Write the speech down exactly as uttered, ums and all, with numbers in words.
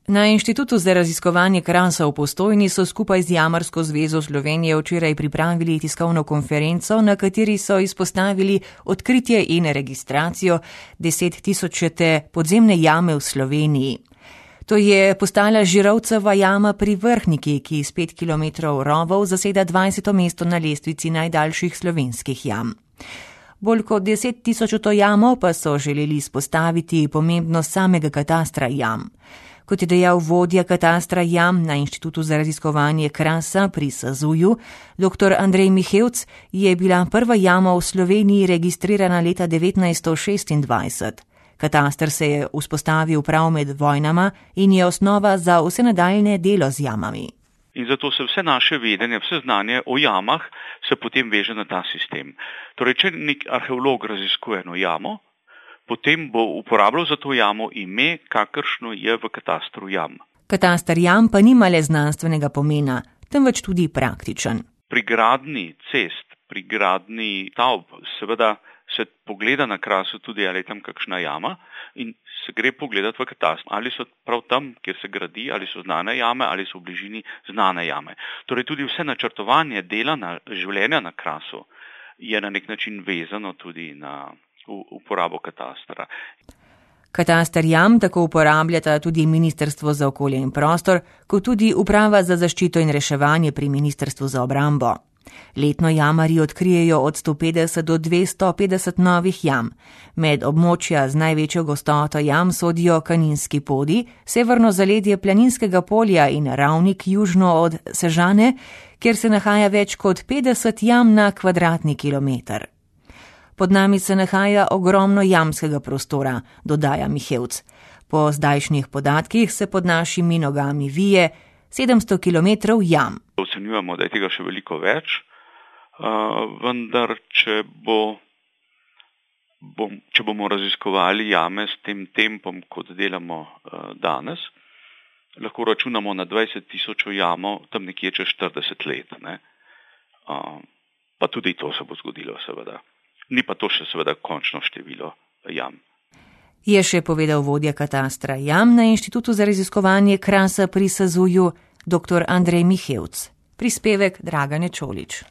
Na Inštitutu za raziskovanje Krasa v Postojni so skupaj z Jamarsko zvezo Slovenije včeraj pripravili tiskovno konferenco, na kateri so izpostavili odkritje in registracijo desettisočete podzemne jame v Sloveniji. To je postala Žirovceva jama pri Vrhniki, ki s pet kilometrov rovov zaseda dvajseto mesto na lestvici najdaljših slovenskih jam. Bolj kot desettisočeto jamo pa so želeli izpostaviti pomembnost samega katastra jam. Kot je dejal vodja katastra jam na Inštitutu za raziskovanje Krasa pri Sazuju, dr. Andrej Mihevc, je bila prva jama v Sloveniji registrirana leta devetnajststo šestindvajset. Kataster se je vzpostavil prav med vojnama in je osnova za vse nadaljne delo z jamami. In zato se vse naše vedenje, vse znanje o jamah se potem veže na ta sistem. Torej, če nek arheolog raziskuje eno jamo, potem bo uporabljal za to jamo ime, kakršno je v katastru jam. Katastar jam pa nima le znanstvenega pomena, temveč tudi praktičen. Pri gradnji cest, pri gradnji stavb, seveda se pogleda na Krasu tudi, ali je tam kakšna jama in se gre pogledati v katastru, ali so prav tam, kjer se gradi, ali so znane jame, ali so v bližini znane jame. Torej tudi vse načrtovanje dela na življenja na Krasu je na nek način vezano tudi na uporabo katastra. Katastar jam tako uporabljata tudi Ministrstvo za okolje in prostor, kot tudi Uprava za zaščito in reševanje pri Ministrstvu za obrambo. Letno jamarji odkrijejo od sto petdeset do dvesto petdeset novih jam. Med območja z največjo gostoto jam sodijo Kaninski podi, severno zaledje Planinskega polja in Ravnik južno od Sežane, kjer se nahaja več kot petdeset jam na kvadratni kilometer. Pod nami se nahaja ogromno jamskega prostora, dodaja Mihevc. Po zdajšnjih podatkih se pod našimi nogami vije sedemsto kilometrov jam. Ocenjujemo, da je tega še veliko več, vendar če, bo, bom, če bomo raziskovali jame s tem tempom, kot delamo danes, lahko računamo na dvajset tisoč jamo tam nekje čez štirideset let. Ne? Pa tudi to se bo zgodilo, seveda. Ni pa to še seveda končno število jam. Je še povedal vodja katastra jam na Inštitutu za raziskovanje Krasa pri Sazuju, dr. Andrej Mihevc. Prispevek Dragane Čolič.